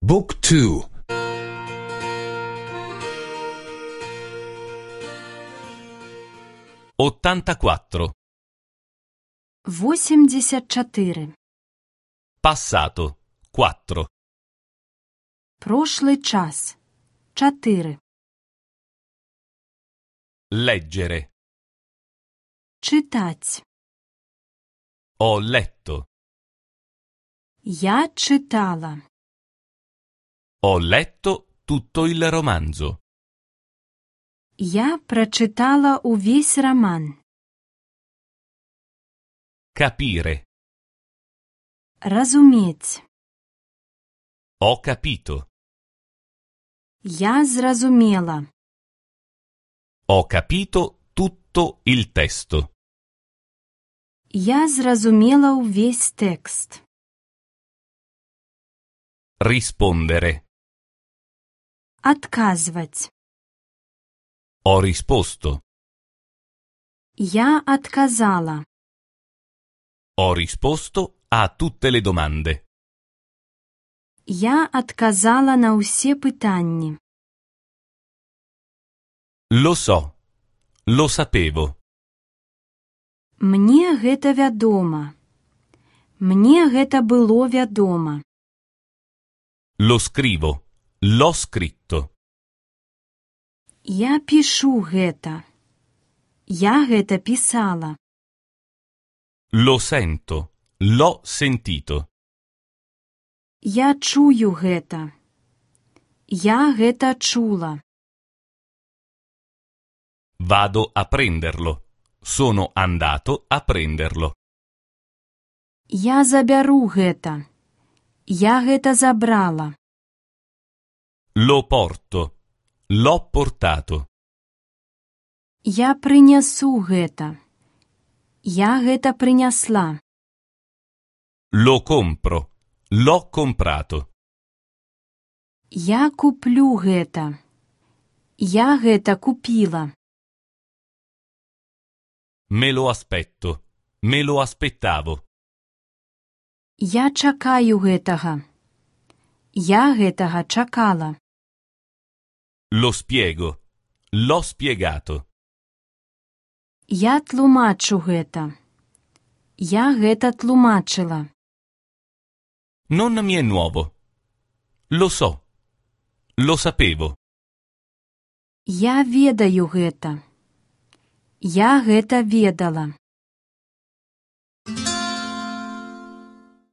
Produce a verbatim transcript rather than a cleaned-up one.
Book two. ottantaquattro. восемьдесят четыре. Passato. quattro. Прошлый час. четыре. Leggere. Читать. Ho letto. Я читала. Ho letto tutto il romanzo. Я прочитала увесь роман. Capire. Разуметь. Ho capito. Я зразумела. Ho capito tutto il testo. Я зразумела увесь текст. Rispondere. Отказывать. Ho risposto. Я отказала. Ho risposto a tutte le domande. Я отказала на усе питання. Lo so. Lo sapevo. Мне гэта вядома. Мне гэта было вядома. Lo scrivo. L'ho scritto. Я пішу гэта. Я гэта пісала. Lo sento. L'ho sentito. Я чую гэта. Я гэта чула. Vado a prenderlo. Sono andato a prenderlo. Я забяру гэта. Я гэта забрала. Lo porto. L'ho portato. Я прынясу гэта. Я гэта прынясла. Lo compro. L'ho comprato. Я куплю гэта. Я гэта купіла. Me lo aspetto. Me lo aspettavo. Я чакаю гэтага. Я гэтага чакала. Lo spiego. L'ho spiegato. Я тлумачу гэта. Я гэта тлумачыла. Non mi è nuovo. Lo so. Lo sapevo. Я ведаю гэта. Я гэта ведала.